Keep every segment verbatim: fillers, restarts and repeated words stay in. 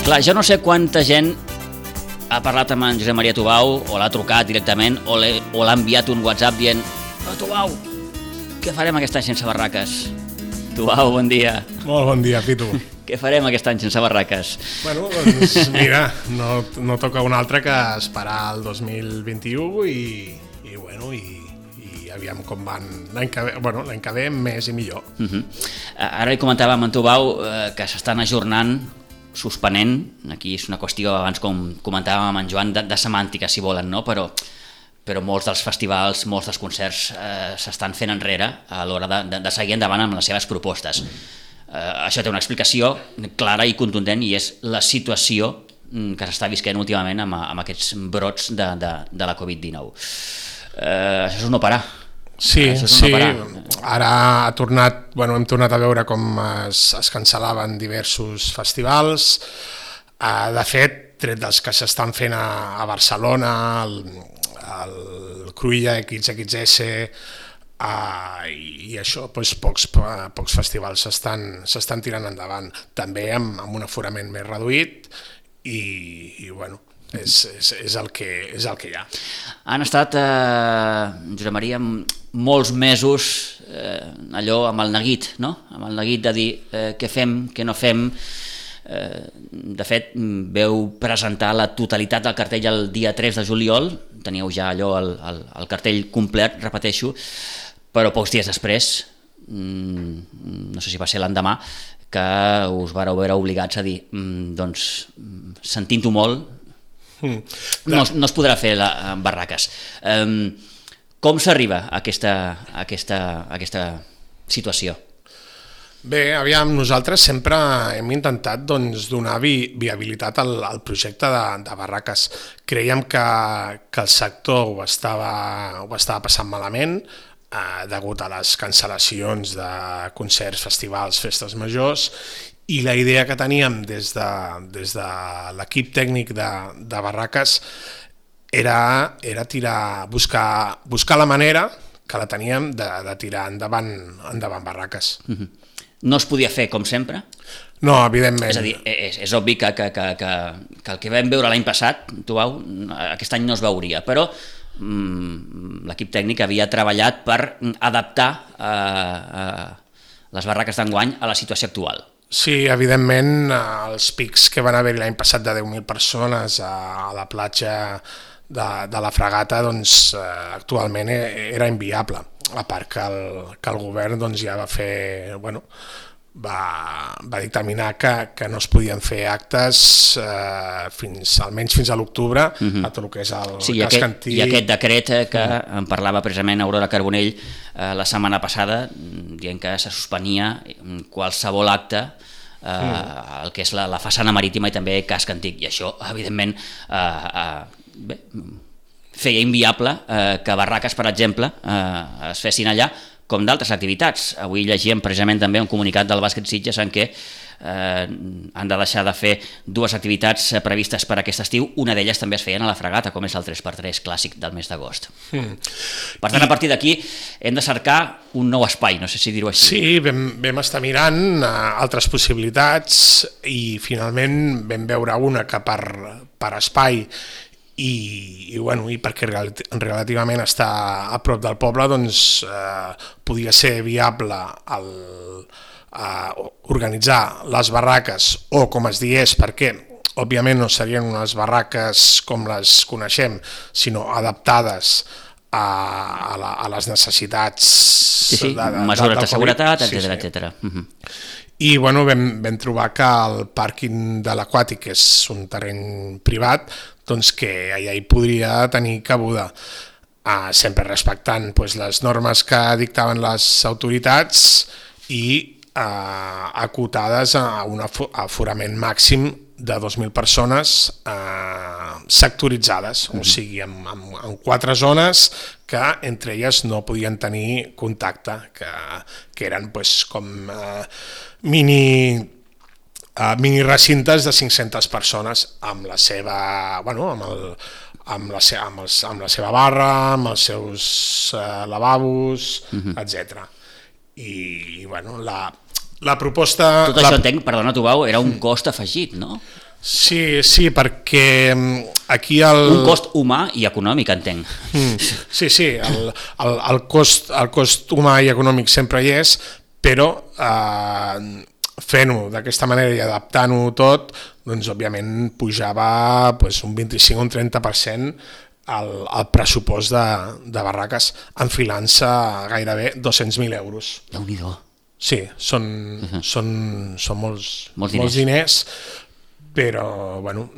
Clar, jo no sé quanta gent ha parlat amb en Josep Maria Tubau o l'ha trucat directament o l'ha enviat un WhatsApp dient oh, Tubau, què farem aquest any sense barraques? Tubau, bon dia. Molt bon dia, Pitu. Què farem aquest any sense barraques? Bueno, doncs mira, no, no toca un altre que esperar el dos mil vint-i-u i, i bueno, i, i aviam com van l'any que ve, bueno, l'any que ve més i millor. Uh-huh. Ara li comentàvem en Tubau eh, que s'estan ajornant, suspenent, aquí és una qüestió, abans com comentàvem amb en Joan, de, de semàntica, si volen, no? Però, però molts dels festivals, molts dels concerts eh, s'estan fent enrere a l'hora de, de, de seguir endavant amb les seves propostes. Eh, això té una explicació clara i contundent i és la situació que s'està visquent últimament amb, amb aquests brots de, de, de la covid dinou. Eh, això és un no parar. Sí, sí, ara ha tornat, bueno, hem tornat a veure com es, es cancel·laven diversos festivals. Uh, de fet, tret dels que s'estan fent a, a Barcelona, el, el Cruïlla X X S, uh, i, i això, doncs, pocs, pocs festivals s'estan s'estan tirant endavant, també amb, amb un aforament més reduït i, i bueno, És, és, és, el que, és el que hi ha. Han estat, eh, Josep Maria, molts mesos eh, allò amb el neguit, no? Amb el neguit de dir eh, què fem, què no fem. Eh, de fet, veu presentar la totalitat del cartell el dia tres de juliol, teníeu ja allò el, el, el cartell complet, repeteixo, però pocs dies després, mm, no sé si va ser l'endemà, que us vareu veure obligats a dir, mm, doncs, sentint-ho molt, Mm. No, no es podrà fer la, barraques. Um, com s'arriba a aquesta, a, aquesta, a aquesta situació? Bé, aviam, nosaltres sempre hem intentat doncs, donar vi, viabilitat al, al projecte de, de barraques. Creiem que, que el sector ho estava, ho estava passant malament eh, degut a les cancel·lacions de concerts, festivals, festes majors, i la idea que teníem des de, des de l'equip tècnic de, de barraques era, era tirar, buscar, buscar la manera que la teníem de, de tirar endavant, endavant barraques. Uh-huh. No es podia fer com sempre? No, evidentment. És a dir, és, és obvi que, que, que, que, que el que vam veure l'any passat, Tubau, aquest any no es veuria, però mm, l'equip tècnic havia treballat per adaptar eh, eh, les barraques d'enguany a la situació actual. Sí, evidentment, els pics que van haver l'any passat de deu mil persones a la platja de, de la Fragata, doncs, actualment era inviable. A part que el, que el govern doncs, ja va fer, bueno, va, va dictaminar que, que no es podien fer actes eh, fins, almenys fins a l'octubre, uh-huh. a tot el que és el sí, cas aquest, Cantí. I aquest decret que uh-huh. en parlava precisament Aurora Carbonell eh, la setmana passada, dient que se suspenia qualsevol acte eh, uh-huh. el que és la, la façana marítima i també casc antic, i això, evidentment, eh, eh, bé, feia inviable eh, que barraques, per exemple, eh, es fessin allà, com d'altres activitats. Avui llegíem precisament també un comunicat del Bàsquet Sitges en què eh, han de deixar de fer dues activitats previstes per aquest estiu, una d'elles també es feien a la Fragata, com és el tres per tres clàssic del mes d'agost. Mm. Per tant, I... a partir d'aquí hem de cercar un nou espai, no sé si dir-ho així. Sí, vam, vam estar mirant uh, altres possibilitats i finalment vam veure una que per, per espai I, i, bueno, i perquè relativament està a prop del poble, doncs eh, podia ser viable el, eh, organitzar les barraques o com es digués, perquè òbviament no serien unes barraques com les coneixem, sinó adaptades a, a, la, a les necessitats sí, sí, de, de, mesures de, de seguretat, etcètera, sí, sí. etcètera. Uh-huh. I bueno, vam, vam trobar que el pàrquing de l'Aquàtic, que és un terreny privat, doncs que allà hi podria tenir cabuda, uh, sempre respectant pues, les normes que dictaven les autoritats i uh, acotades a un aforament màxim de dos mil persones uh, sectoritzades, mm-hmm. o sigui, amb, amb, amb quatre zones que entre elles no podien tenir contacte, que, que eren pues, com uh, mini... Uh, mini recintes de cinc-centes persones amb la seva, bueno, amb, el, amb, la, se, amb, els, amb la seva barra, amb els seus uh, lavabos, uh-huh. etcètera. I, bueno, la, la proposta... Tot això la... entenc, perdona Tubau, era un cost afegit, no? Sí, sí, perquè aquí el... Un cost humà i econòmic, entenc. Mm, sí, sí, el, el, el, cost, el cost humà i econòmic sempre hi és, però eh, fent-ho d'aquesta manera i adaptant-ho tot, doncs òbviament pujava pues, un vint-i-cinc o un trenta per cent el, el pressupost de, de barraques, enfilant-se gairebé dos-cents mil euros. Déu-n'hi-do. Sí, són, uh-huh. són, són molts, molts diners. molts diners, però bueno,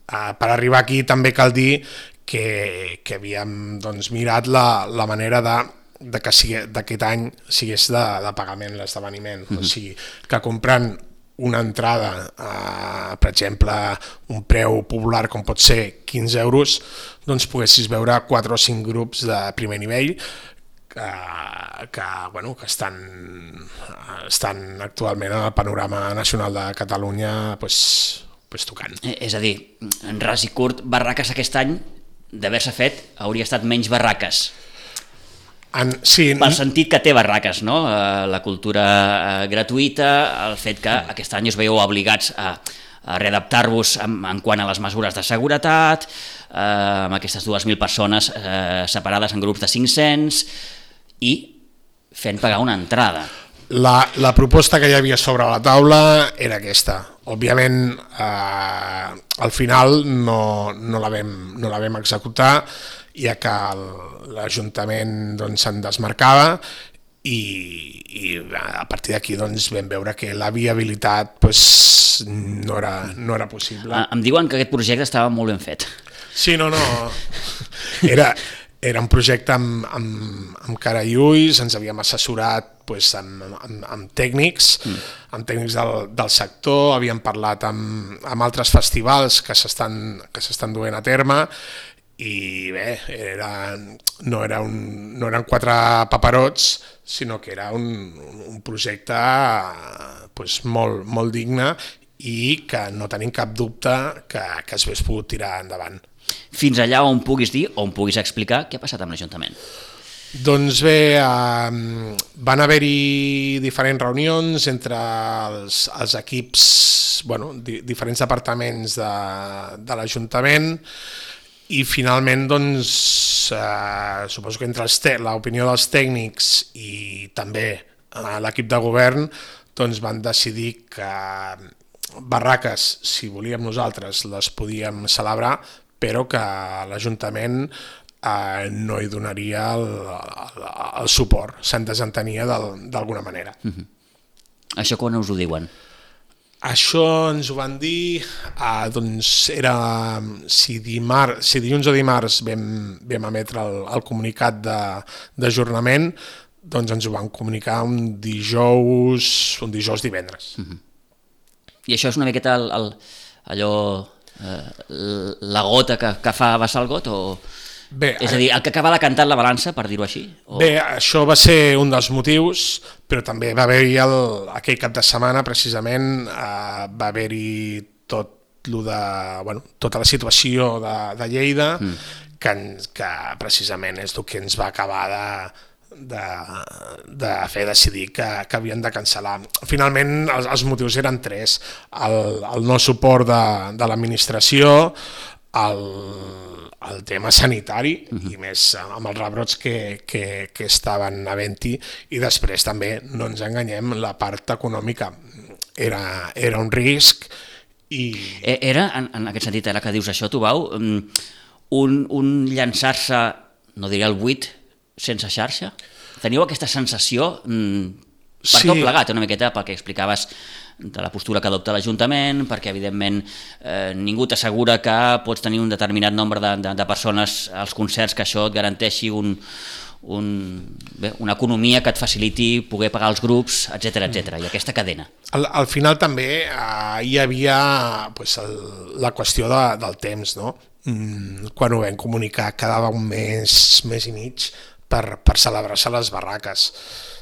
per arribar aquí també cal dir que, que havíem doncs, mirat la, la manera de, de que sigui, d'aquest any sigués de, de pagament l'esdeveniment, uh-huh. o sigui, que comprant una entrada, eh, per exemple, un preu popular com pot ser quinze euros, doncs poguessis veure quatre o cinc grups de primer nivell que, que, bueno, que estan, estan actualment en el panorama nacional de Catalunya pues, pues tocant. És a dir, en ras i curt, barraques aquest any, d'haver-se fet, hauria estat menys barraques. En, sí, pel sentit que té barraques, no? La cultura gratuïta, el fet que aquest any us veieu obligats a, a readaptar-vos en, en quant a les mesures de seguretat, eh, amb aquestes dues mil persones eh, separades en grups de cinc-cents i fent pagar una entrada. La, la proposta que hi havia sobre la taula era aquesta. Òbviament, eh, al final no, no, la vam, no la vam executar, ja que l'Ajuntament doncs, se'n desmarcava i, i a partir d'aquí doncs, vam veure que la viabilitat doncs, no, era, no era possible. Em diuen que aquest projecte estava molt ben fet. Sí, no, no. Era... Era un projecte amb, amb, amb cara i ulls, ens havíem assessorat pues, amb, amb, amb tècnics, mm. amb tècnics del, del sector, havíem parlat amb, amb altres festivals que s'estan que s'estan duent a terme i bé, era, no, era un, no eren quatre paperots, sinó que era un, un projecte pues, molt, molt digne i que no tenim cap dubte que, que es hagués pogut tirar endavant. Fins allà on puguis dir, on puguis explicar què ha passat amb l'Ajuntament. Doncs bé, eh, van haver-hi diferents reunions entre els, els equips, bueno, di, diferents departaments de, de l'Ajuntament i finalment, doncs, eh, suposo que entre l'opinió dels tècnics i també eh, l'equip de govern, doncs van decidir que barraques, si volíem nosaltres, les podíem celebrar, però que l'Ajuntament eh, no hi donaria el, el, el suport, se'n desentenia d'alguna manera. Uh-huh. Això quan us ho diuen? Això ens ho van dir, eh, doncs era, si, dimarts, si dilluns o dimarts vam, vam emetre el, el comunicat d'ajornament, doncs ens ho van comunicar un dijous, un dijous divendres. Uh-huh. I això és una miqueta el, el, allò... la gota que, que fa vessar el got o... Bé, és a dir, el que acaba decantant la balança, per dir-ho així? O... Bé, això va ser un dels motius, però també va haver-hi el, aquell cap de setmana, precisament, eh, va haver-hi tot lo de, bueno, tota la situació de, de Lleida, mm. que, que precisament és el que ens va acabar de, de, de fer decidir que, que havien de cancel·lar. Finalment, els, els motius eren tres. El, el no suport de, de l'administració, el, el tema sanitari, uh-huh. i més amb els rebrots que, que, que estaven havent-hi, i després també, no ens enganyem, la part econòmica era, era un risc. I... Era, en, en aquest sentit, ara que dius això, tu, Bau, un, un llançar-se, no diria el buit, sense xarxa? Teniu aquesta sensació, per sí. tot plegat, una miqueta pel que explicaves de la postura que adopta l'Ajuntament, perquè evidentment eh, ningú t'assegura que pots tenir un determinat nombre de, de, de persones als concerts, que això et garanteixi un, un, bé, una economia que et faciliti poder pagar els grups, etcètera, etcètera, i aquesta cadena. Al, al final també eh, hi havia pues, el, la qüestió de, del temps, no? Mm, quan ho vam comunicar quedava un mes, mes i mig per, per celebrar-se les barraques.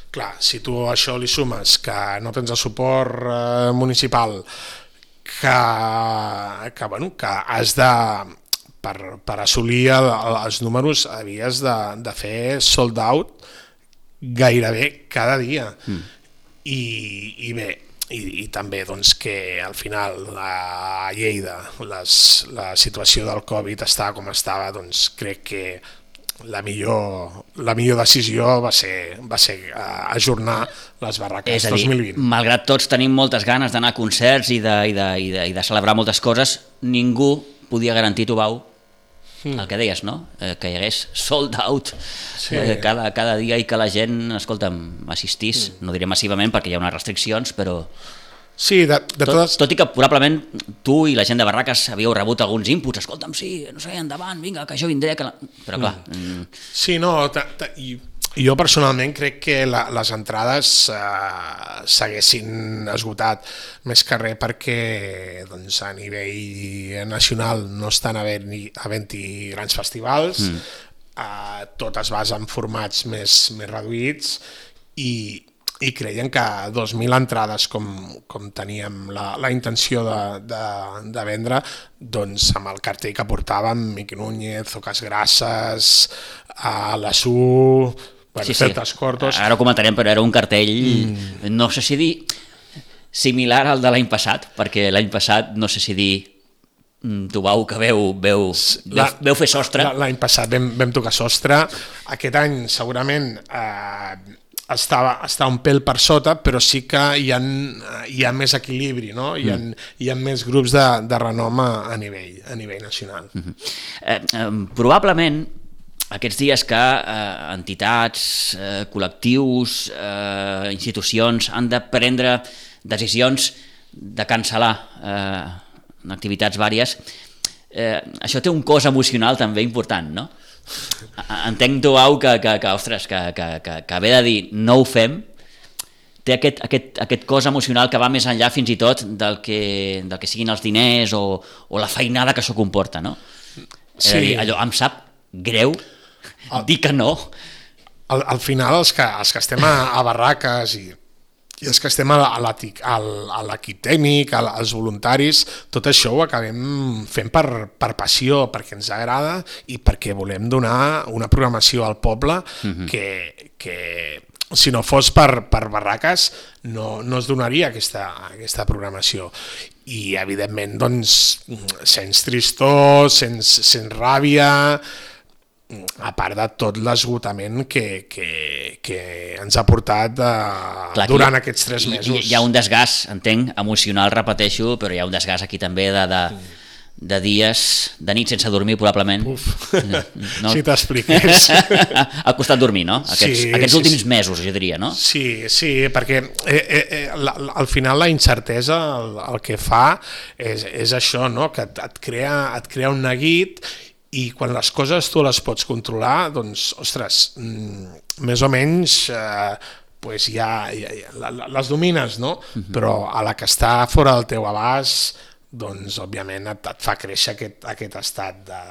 Clar, si tu això li sumes que no tens el suport eh, municipal, que, que, bueno, que has de, per, per assolir el, els números, havies de, de fer sold out gairebé cada dia. Mm. I, i bé, i, i també doncs, que al final a Lleida les, la situació del Covid estava com estava, doncs crec que la millor, la millor decisió va ser, va ser ajornar les barraques és a dir, dos mil vint. Malgrat tots tenim moltes ganes d'anar a concerts i de, i, de, i, de, i de celebrar moltes coses, ningú podia garantir, Tubau, el que deies, no? Eh, que hi hagués sold out sí. eh, cada, cada dia i que la gent, escolta'm, assistís, mm. no diré massivament perquè hi ha unes restriccions, però sí, de, de tot, totes... tot i que probablement tu i la gent de Barraques havíeu rebut alguns inputs, escolta'm, sí, no sé, endavant, vinga, que jo vindré, que la... però clar... Mm. Sí, no, ta, ta, i jo personalment crec que la, les entrades eh, s'haguessin esgotat més que res perquè doncs, a nivell nacional no estan havent-hi havent grans festivals, mm. eh, tot es basa en formats més, més reduïts i, i creien que dos mil entrades com, com teníem la, la intenció de, de, de vendre, doncs amb el cartell que portàvem, Miqui Núñez, Ocas Grasses, a la S U... Bueno, sí, sí. Cortos. Ara ho comentarem, però era un cartell, mm. no sé si dir similar al de l'any passat, perquè l'any passat no sé si dir Tubau que veu, veu, veu, veu fer sostre. L'any passat vam, vam tocar sostre, aquest any segurament eh, estava, estava un pèl per sota, però sí que hi ha, hi ha més equilibri, no? Hi ha, mm. hi ha més grups de, de renom a, a, nivell, a nivell nacional. Mm-hmm. eh, eh, probablement aquests dies que eh, entitats, eh, col·lectius, eh, institucions han de prendre decisions de cancel·lar eh, activitats vàries, eh, això té un cos emocional també important, no? Entenc, Tubau, que, que, que, ostres, que, que, que, que haver de dir no ho fem, té aquest, aquest, aquest cos emocional que va més enllà fins i tot del que, del que siguin els diners o, o la feinada que això comporta, no? Sí. És a dir, allò em sap greu el, dir que no. Al, al final els que, els que estem a, a barraques i, i els que estem a l'equip tècnic, als voluntaris, tot això ho acabem fent per, per passió, perquè ens agrada i perquè volem donar una programació al poble mm-hmm. que, que si no fos per, per barraques no, no es donaria aquesta, aquesta programació. I evidentment doncs, sents tristor, sents, sents ràbia, a part de tot l'esgotament que, que, que ens ha portat de, clar, durant hi, aquests tres mesos. Hi, hi ha un desgast, entenc, emocional, repeteixo, però hi ha un desgast aquí també de, de, de dies, de nit sense dormir, probablement. Uf, no? Si t'expliqués. Ha costat dormir, no? Aquests, sí, aquests sí, últims sí. mesos, jo diria, no? Sí, sí, perquè eh, eh, la, al final la incertesa el, el que fa és, és això, no? Que et, et, crea, et crea un neguit. I quan les coses tu les pots controlar, doncs, ostres, més o menys eh, pues ja, ja, ja les domines, no? Uh-huh. Però a la que està fora del teu abast, doncs, òbviament, et, et fa créixer aquest, aquest estat de,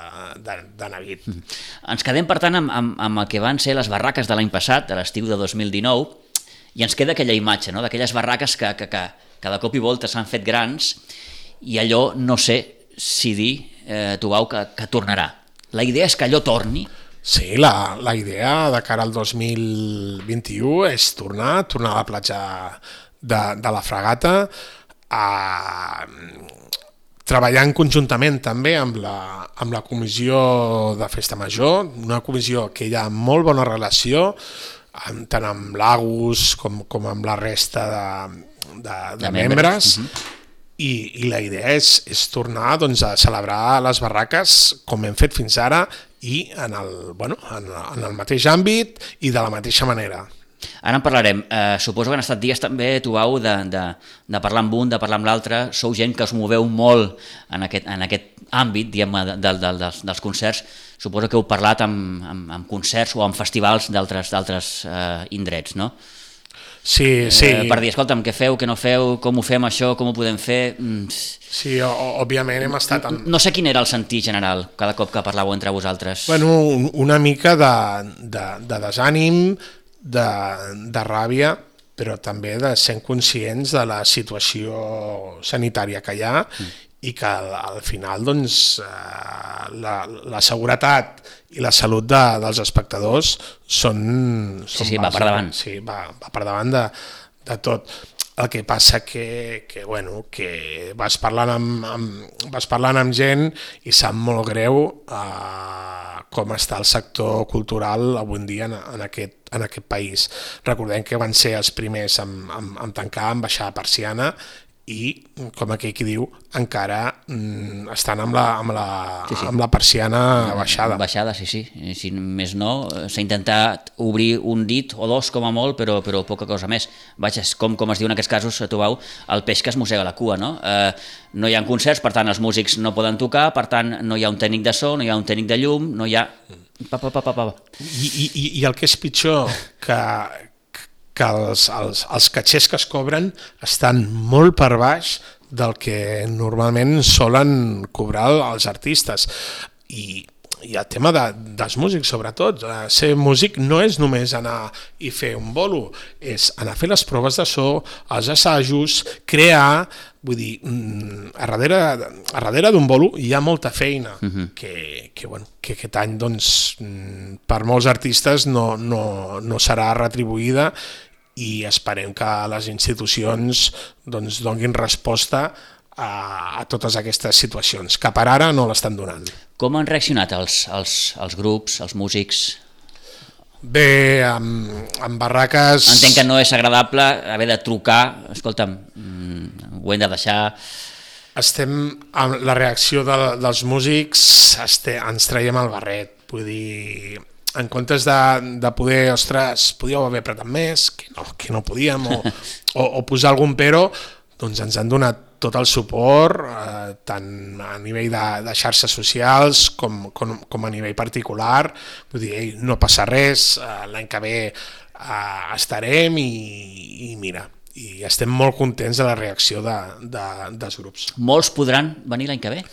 de, de neguit. Uh-huh. Ens quedem, per tant, amb, amb, amb el que van ser les barraques de l'any passat, de l'estiu de dos mil dinou, i ens queda aquella imatge, no? D'aquelles barraques que, que, que cada cop i volta s'han fet grans, i allò, no sé si dir, eh, Tubau, que, que tornarà. La idea és que allò torni? Sí, la, la idea de cara al dos mil vint-i-u és tornar, tornar a la platja de, de la Fragata, a, treballant conjuntament també amb la, amb la comissió de Festa Major, una comissió que hi ha molt bona relació, tant amb l'Agus com, com amb la resta de, de, de, de membres, membres. Uh-huh. I, i la idea és, és tornar doncs, a celebrar les barraques com hem fet fins ara i en el, bueno, en, en el mateix àmbit i de la mateixa manera. Ara en parlarem. Eh, suposo que han estat dies també, Tubau, de, de, de parlar amb un, de parlar amb l'altre. Sou gent que us moveu molt en aquest, en aquest àmbit, diguem, de, de, de, dels, dels concerts. Suposo que heu parlat amb, amb, amb concerts o amb festivals d'altres eh, indrets, no? Sí, sí. Eh, per dir, escolta'm, què feu, què no feu, com ho fem això, com ho podem fer... Sí, òbviament hem estat... Amb... No sé quin era el sentit general cada cop que parlàveu entre vosaltres. Bueno, una mica de, de, de desànim, de, de ràbia, però també de ser conscients de la situació sanitària que hi ha mm. i que al, al final doncs, la, la seguretat i la salut de, dels espectadors són... són sí, sí, va per davant. Sí, va, va per davant de, de tot. El que passa que, que, bueno, que vas parlant amb, amb, vas parlant amb gent i sap molt greu eh, com està el sector cultural avui en dia en, en, aquest, en aquest país. Recordem que van ser els primers en, en, en tancar, en baixar la persiana, i, com aquell qui diu, encara mm, estan amb la, amb, la, sí, sí. amb la persiana baixada. Baixada, sí, sí. Si més no, s'ha intentat obrir un dit o dos com a molt, però, però poca cosa més. Vaja, com, com es diu en aquests casos, trobeu el peix que es mossega la cua, no? Eh, no hi ha concerts, per tant els músics no poden tocar, per tant no hi ha un tècnic de so, no hi ha un tècnic de llum, no hi ha... Pa, pa, pa, pa, pa. I, i, I el que és pitjor, que... que els, els, els catxers que es cobren estan molt per baix del que normalment solen cobrar els artistes. I, i el tema de, dels músics, sobretot, ser músic no és només anar i fer un bolo, és anar a fer les proves de so, els assajos, crear, vull dir, a darrere, a darrere d'un bolo hi ha molta feina, uh-huh. que, que, bueno, que aquest any doncs, per molts artistes no, no, no serà retribuïda, i esperem que les institucions doncs, donin resposta a, a totes aquestes situacions, que per ara no l'estan donant. Com han reaccionat els, els, els grups, els músics? Bé, amb, amb Barraques... Entenc que no és agradable haver de trucar, escolta'm, ho hem de deixar... Estem amb la reacció de, dels músics, este, ens traiem el barret, vull dir... en comptes de, de poder, ostres, podíeu haver apretat més, que no, que no podíem, o, o, o posar algun però, doncs ens han donat tot el suport, eh, tant a nivell de, de xarxes socials com, com, com a nivell particular. Vull dir, ei, no passa res, eh, l'any que ve eh, estarem i, i mira, i estem molt contents de la reacció de, de, dels grups. Molts podran venir l'any que ve?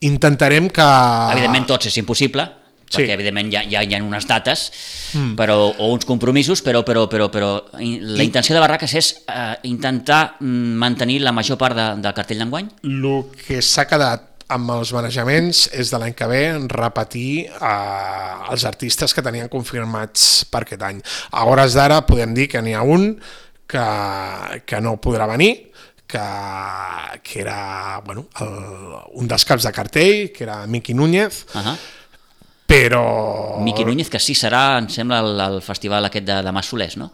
Intentarem que... Evidentment tots és impossible, perquè sí. evidentment hi ha, hi, ha, hi ha unes dates mm. però, o uns compromisos, però, però, però, però la I... intenció de Barraques és eh, intentar mantenir la major part de, del cartell d'enguany? El que s'ha quedat amb els manejaments és de l'any que ve repetir eh, els artistes que tenien confirmats per aquest any. A hores d'ara podem dir que n'hi ha un que, que no podrà venir, que, que era bueno, el, un dels caps de cartell, que era Miqui Núñez, uh-huh. però... Miqui Núñez, que sí serà, em sembla, el, el festival aquest de, de Mas Solers, no?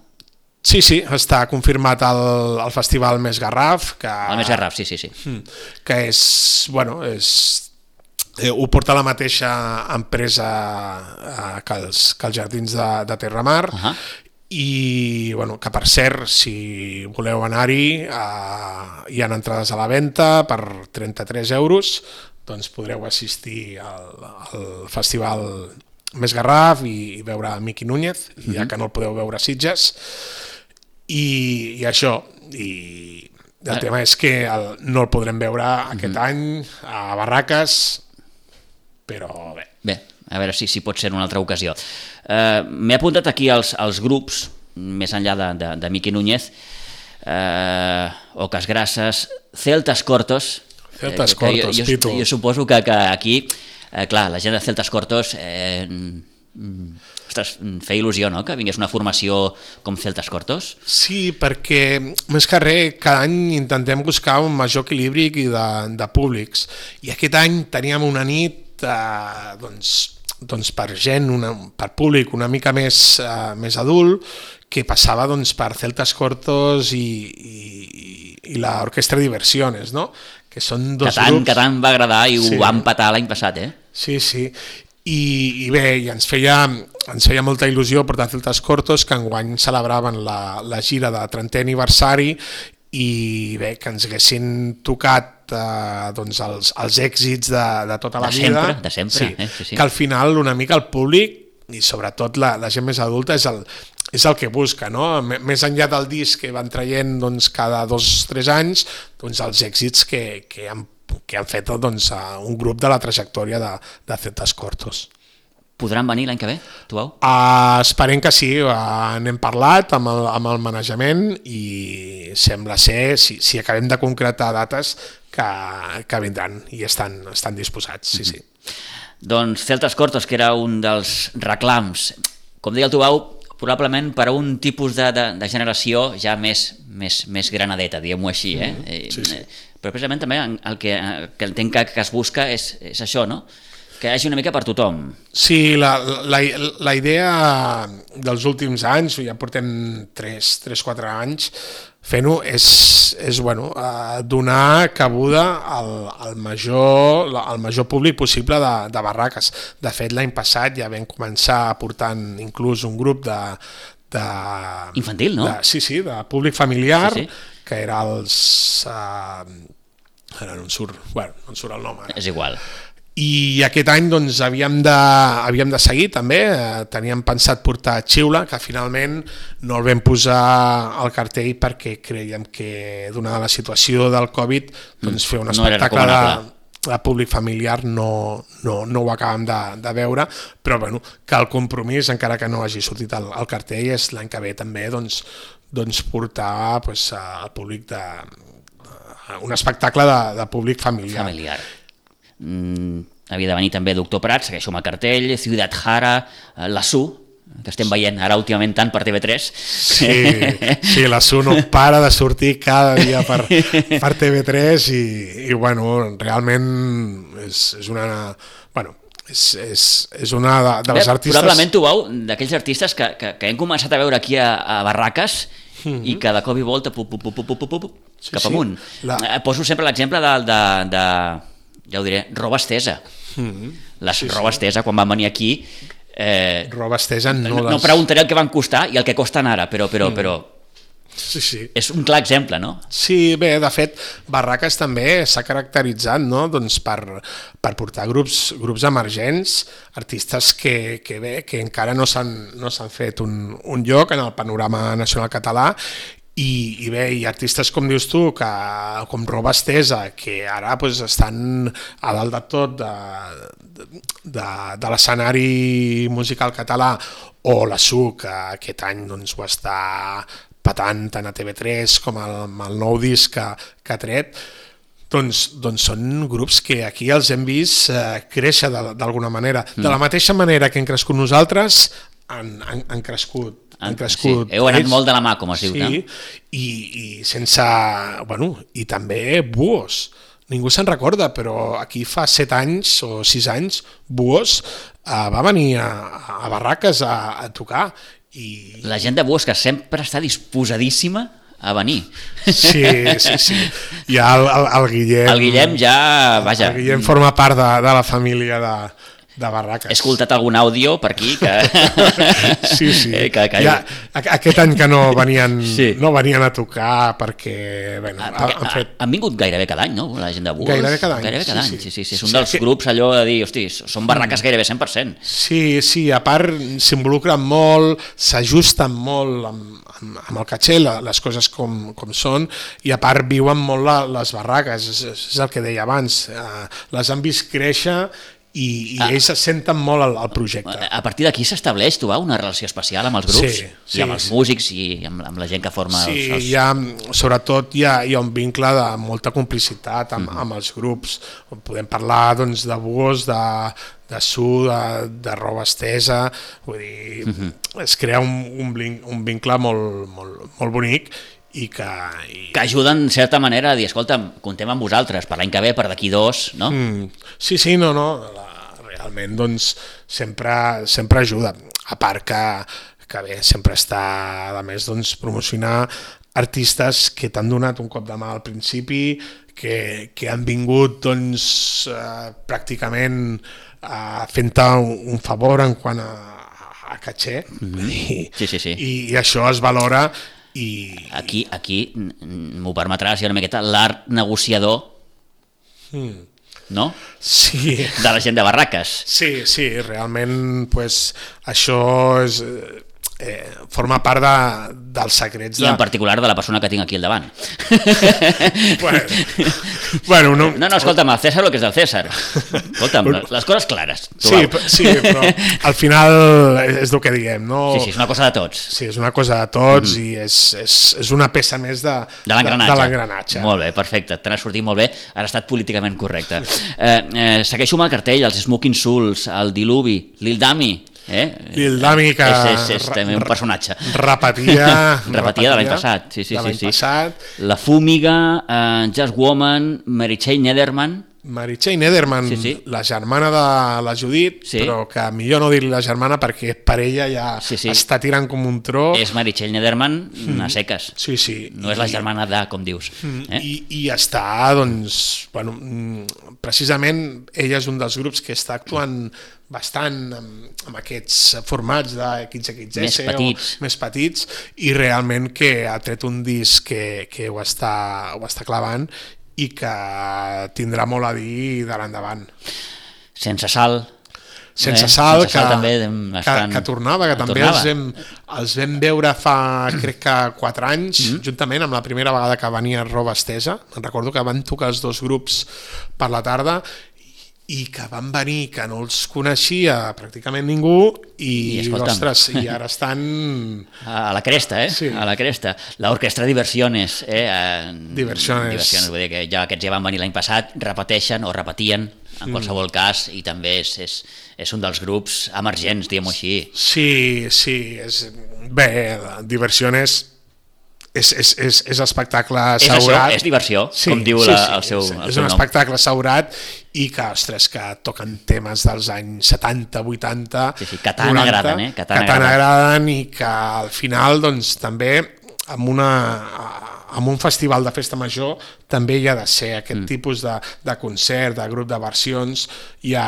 Sí, sí, està confirmat el, el festival Més Garraf. Que, el Més Garraf, sí, sí, sí. Que és, bueno, és, eh, ho porta la mateixa empresa eh, que, els, que els Jardins de, de Terramar, uh-huh. i, bueno, que per cert, si voleu anar-hi, eh, hi ha entrades a la venda per trenta-tres euros, doncs podreu assistir al, al festival Més Garraf i, i veure Miqui Núñez, mm-hmm. ja que no el podeu veure a Sitges, i, i això, i el ah. tema és que el, no el podrem veure aquest mm-hmm. any a Barraques, però bé. Bé, a veure si, si pot ser en una altra ocasió. Uh, M'he apuntat aquí els, els grups, més enllà de, de, de Miqui Núñez, uh, Oques Grasses, Celtas Cortos. Celtas Cortos, jo, jo, jo suposo que, que aquí, eh, clar, la gent de Celtas Cortos, eh, ostres, feia il·lusió, no?, que vingués una formació com Celtas Cortos. Sí, perquè més que res, cada any intentem buscar un major equilibri de, de públics, i aquest any teníem una nit, eh, doncs, doncs per gent, una, per públic una mica més, eh, més adult, que passava doncs, per Celtas Cortos i, i, i l'Orquestra Diversiones, no?, que són dos que tant, grups... Que tant va agradar i sí. Ho van petar l'any passat, eh? Sí, sí. I, i bé, i ens, feia, ens feia molta il·lusió portar Celtas Cortos, que enguany celebraven la, la gira de trentè aniversari, i bé, que ens haguessin tocat eh, doncs els, els èxits de, de tota la de vida. Sempre, de sempre, sí, eh? Sí, sí. Que al final una mica el públic, i sobretot la, la gent més adulta, és el, és el que busca, no? Més enllà del disc que van traient doncs, cada dos o tres anys, doncs, els èxits que, que, han, que han fet doncs, un grup de la trajectòria de, de Celtas Cortos. Podran venir l'any que ve, Tubau? Uh, esperem que sí, uh, n'hem parlat amb el, amb el manejament i sembla ser, si, si acabem de concretar dates, que, que vindran i estan, estan disposats, sí, sí. Doncs Celtas Cortos, que era un dels reclams, com deia el Tubau, probablement per a un tipus de, de, de generació ja més, més, més granadeta, diguem-ho així. Eh? Mm, sí, sí. Però precisament també el que, el que entenc que, que es busca és, és això, no? Que hi hagi una mica per tothom. Sí, la, la, la idea dels últims anys, ja portem tres quatre anys fent-ho, és, és bueno, donar cabuda al, al, major, al major públic possible de, de barraques. De fet, l'any passat ja vam començar portant inclús un grup de... de infantil, no? De, sí, sí, de públic familiar, sí, sí. Que era els... Uh, ara no em surt, bueno, no em surt el nom ara. És igual. I aquest any doncs, havíem, de, havíem de seguir també, eh, teníem pensat portar Xiula, que finalment no el vam posar al cartell perquè creiem que donada la situació del Covid doncs, fer un espectacle no de, de públic familiar no, no, no ho acabem de, de veure, però bueno, que el compromís, encara que no hagi sortit al, al cartell, és l'any que ve també doncs, doncs portar doncs, al públic de, un espectacle de, de públic familiar. Familiar. Mm, havia de venir també Doctor Prat, segueixo amb el cartell, Ciutat Jara, la Su, que estem veient ara últimament tant per T V tres. Sí, sí, la Su no para de sortir cada dia per, per T V tres i, i bueno, realment és, és una... Bueno, és, és, és una de, de les artistes... Probablement tu veu d'aquells artistes que, que, que hem començat a veure aquí a, a Barraques mm-hmm. i que de cop i volta pup, pup, pup, pup, pup, pup, sí, cap amunt. Sí, la... Poso sempre l'exemple de... de, de ja ho diré, Roba Estesa. Mm-hmm. La sí, Roba sí. Estesa, quan van venir aquí... Eh, Roba Estesa no, no, les... no preguntaré el que van costar i el que costen ara, però, però, mm. però sí, sí. és un clar exemple, no? Sí, bé, de fet, Barraques també s'ha caracteritzat, no? Doncs per, per portar grups, grups emergents, artistes que, que, bé, que encara no s'han no s'han fet un, un lloc en el panorama nacional català. I, i bé, i artistes com dius tu, que, com Roba Estesa, que ara pues, estan a dalt de tot de, de, de l'escenari musical català, o la Su, que aquest any doncs, ho està patant tant a T V tres com el, el nou disc que, que ha tret, doncs, doncs són grups que aquí els hem vist eh, créixer d'alguna manera. Mm. De la mateixa manera que hem crescut nosaltres, han, han, han crescut han crescut. Sí, heu anat ells, molt de la mà, com es diu, sí, no? I, i sense... Bueno, i també Buos. Ningú se'n recorda, però aquí fa set anys o sis anys, Buos eh, va venir a, a Barraques a, a tocar. I... La gent de Buos que sempre està disposadíssima a venir. Sí, sí, sí. I el, el, el Guillem... El Guillem ja... Vaja. El Guillem forma part de, de la família de... de Barraques. He escoltat algun àudio per aquí que... sí, sí. que, que... Ja, aquest any que no venien, sí. no venien a tocar perquè... Bueno, ah, perquè han, fet... han vingut gairebé cada any, no? La gent de Buos. Gairebé cada any. Gairebé cada sí, any. Sí. Sí, sí, sí. És un dels sí, grups allò de dir, hosti, són barraques gairebé cent per cent. Sí, sí, a part s'involucren molt, s'ajusten molt amb, amb, amb el caché, les coses com, com són, i a part viuen molt la, les barraques, és, és el que deia abans, eh, les han vist créixer i, i ah. ells se senten molt al, al projecte. A partir d'aquí s'estableix, tu, una relació especial amb els grups, sí, sí, i amb els sí. músics i amb, amb la gent que forma sí, els... Sí, ha, sobretot hi ha, hi ha un vincle de molta complicitat amb, mm-hmm. amb els grups. Podem parlar doncs, de Buos, de, de Su, de, de Roba Estesa, vull dir, mm-hmm. es crea un, un, un vincle molt, molt, molt bonic i que... I... que ajuden, en certa manera, a dir, escolta, contem amb vosaltres, per l'any que ve, per d'aquí dos, no? Mm, sí, sí, no, no, la, realment, doncs, sempre, sempre ajuda. A part que, que bé, sempre està, a més, doncs, promocionar artistes que t'han donat un cop de mà al principi, que, que han vingut, doncs, eh, pràcticament eh, fent-te un, un favor en quant a, a caché, mm-hmm. I, sí, sí, sí. I, i això es valora. I... Aquí, aquí m'ho permetràs, una miqueta, l'art negociador, mm. no? Sí. De la gent de Barraques. Sí, sí, realment pues, això és... Eh, forma part de, dels secrets de... I en particular de la persona que tinc aquí al davant. bueno, bueno, no... no, no, escolta'm, el César el que és del César. Escolta'm, les coses clares. Sí, sí, però al final és el que diguem, no? Sí, sí, és una cosa de tots. Sí, és una cosa de tots mm-hmm. i és, és, és una peça més de, de l'engranatge. De l'engranatge. Molt bé, perfecte, t'ha sortit molt bé, ara ha estat políticament correcte. Eh, eh, segueixo amb el cartell, els Smoking Souls, el Diluvi, Lil Dami, Eh? Lil Dami, que... És, és, és també un personatge. Repetia... repetia de l'any passat, sí, sí, de l'any sí, sí. passat. La Fúmiga, uh, Just Woman, Mary Chey Nederman... Mary Chey Nederman, sí, sí. la germana de la Judit, sí. però que millor no dir-li la germana perquè per ella ja sí, sí. està tirant com un tro. És Mary Chey Nederman mm. a seques. Sí, sí. No és la germana de, com dius. Mm. Eh? I, I està, doncs, bueno, precisament ella és un dels grups que està actuant bastant amb, amb aquests formats de X X S més petits. o més petits i realment que ha tret un disc que, que ho, està, ho està clavant i que tindrà molt a dir de l'endavant. Sense sal. Sense eh? sal, Sense sal que, també estan... que, que tornava, que també tornava. Els, vam, els vam veure fa, crec que quatre anys, mm-hmm. juntament amb la primera vegada que venia Roba Estesa. Me'n recordo que van tocar els dos grups per la tarda i que van venir, que no els coneixia pràcticament ningú i, I ostres, i ara estan... A la cresta, eh? Sí. A la cresta. L'orquestra Diversiones, eh? Diversiones. Diversiones, vull dir que ja aquests ja van venir l'any passat, repeteixen o repetien, en qualsevol mm. cas, i també és, és, és un dels grups emergents, diguem-ho així. Sí, sí, és... bé, Diversiones... És, és, és, és espectacle assegurat. És això, és diversió, sí, com diu sí, la, sí, el seu, és, el és seu un nom. espectacle assegurat i que, ostres, que toquen temes dels anys setanta, vuitanta, sí, sí, que tant noranta, agraden, eh? Que tant, que tant agraden i que al final, doncs, també amb, una, amb un festival de festa major també hi ha de ser aquest mm. tipus de, de concert, de grup de versions, hi ha...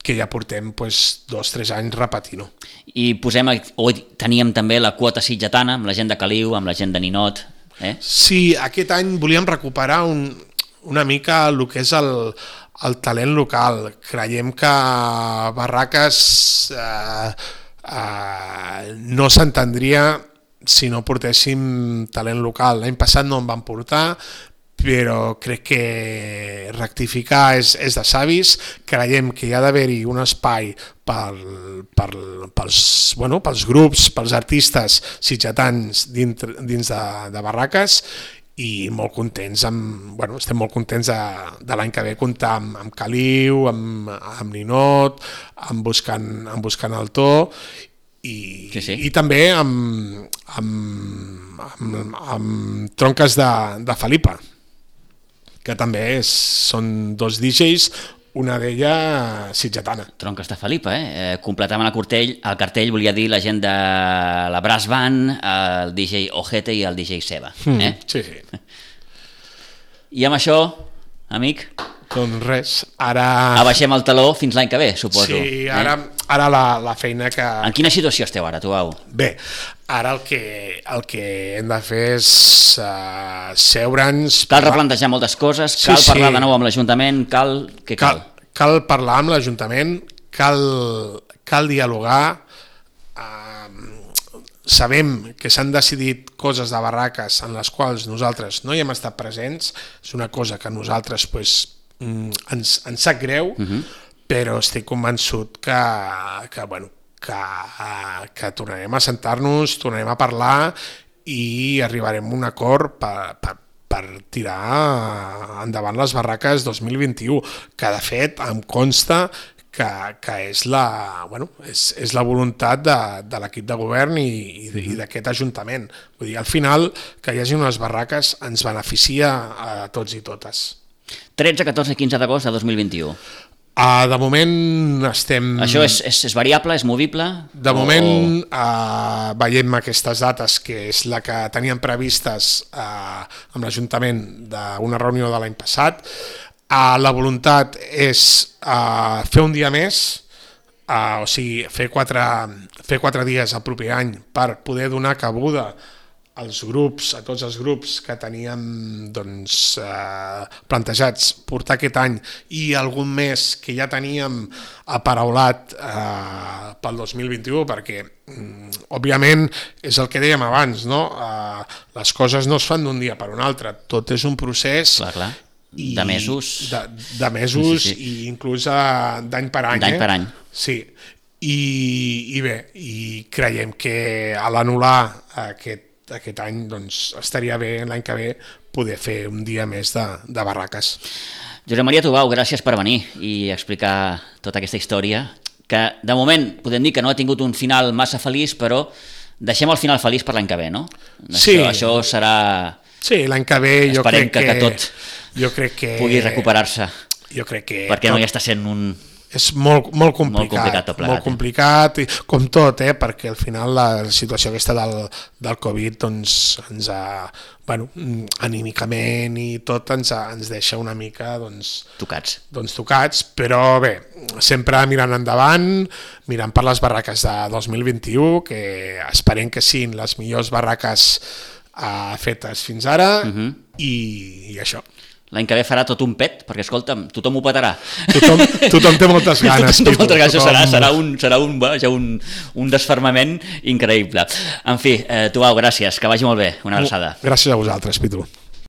que ja portem pues, dos o tres anys repetint-ho. I posem, o teníem també la quota sitgetana, amb la gent de Caliu, amb la gent de Ninot. Eh? Sí, aquest any volíem recuperar un, una mica el que és el, el talent local. Creiem que Barraques eh, eh, no s'entendria si no portéssim talent local. L'any passat no en van portar, però crec que rectificar és, és de savis. Creiem que hi ha d'haver-hi un espai per, per, pels, bueno, pels grups, pels artistes sitgetans dins, dins de, de Barraques i molt contents, amb, bueno, estem molt contents de, de l'any que ve comptar amb, amb Caliu, amb, amb Ninot, amb buscant, amb buscant el to i, sí, sí. i també amb, amb, amb, amb Tronques de, de Felipa, que també és, són dos D Js, una d'ella sitgetana. Tronques de Felipa, eh? eh completament el cartell, el cartell volia dir la gent de la Brass Band, el D J Ojete i el D J Seba. Eh? Mm, sí, sí. I amb això, amic... Doncs res, ara... Abaixem el taló fins l'any que ve, suposo. Sí, ara, eh? ara la, la feina que... En quina situació esteu ara, tu, Au? Bé, ara el que, el que hem de fer és uh, seure'ns... Cal replantejar moltes coses, cal sí, parlar sí. de nou amb l'Ajuntament, cal... Què cal? Cal, cal parlar amb l'Ajuntament, cal, cal dialogar, uh, sabem que s'han decidit coses de Barraques en les quals nosaltres no hi hem estat presents, és una cosa que nosaltres pues, ens, ens sap greu, uh-huh. però estic convençut que, que, bueno, que, que tornarem a sentar-nos, tornarem a parlar i arribarem a un acord per, per, per tirar endavant les Barraques dos mil vint-i-u, que de fet em consta que, que és, la, bueno, és, és la voluntat de, de l'equip de govern i, i, i d'aquest Ajuntament. Vull dir, al final, que hi hagi unes Barraques ens beneficia a tots i totes. tretze, catorze i quinze d'agost de dos mil vint-i-u. Uh, de moment estem... Això és, és, és variable, és movible? De o... moment uh, veiem aquestes dates, que és la que teníem previstes uh, amb l'Ajuntament d'una reunió de l'any passat. Uh, la voluntat és uh, fer un dia més, uh, o sigui, fer quatre, fer quatre dies el proper any per poder donar cabuda als grups, a tots els grups que teníem doncs, eh, plantejats portar aquest any i algun més que ja teníem aparaulat eh, pel dos mil vint-i-u, perquè mm, òbviament és el que dèiem abans, no? Eh, les coses no es fan d'un dia per un altre, tot és un procés clar, clar. de mesos, de, de mesos sí, sí. i inclús eh, d'any per any. D'any eh? per any. Sí, i, i bé, i creiem que a l'anul·lar aquest aquest any doncs, estaria bé l'any que ve poder fer un dia més de, de Barraques. Josep Maria Tubau, gràcies per venir i explicar tota aquesta història que de moment podem dir que no ha tingut un final massa feliç, però deixem el final feliç per l'any que ve, no? Sí. Això, això serà... Sí, l'any que ve jo Esperem crec que... que, que tot jo crec que... pugui recuperar-se. Jo crec que... Perquè tot... no ja està sent un... És molt, molt complicat, molt complicat, tot plegat, molt complicat i, com tot, eh, perquè al final la situació aquesta del, del Covid doncs, ens ha, bueno, anímicament i tot ens, ha, ens deixa una mica doncs, tocats. doncs tocats, però bé, sempre mirant endavant, mirant per les barraques de dos mil vint-i-u, que esperem que siguin les millors barraques eh, fetes fins ara, uh-huh. i, i això. L'any que ve farà tot un pet, perquè, escolta'm, tothom ho petarà. Tothom, tothom té moltes ganes. Tothom té moltes ganes, tothom... serà, serà, un, serà un, ja un, un desfermament increïble. En fi, eh, Tubau, gràcies, que vagi molt bé, una abraçada. Gràcies a vosaltres, Pitu.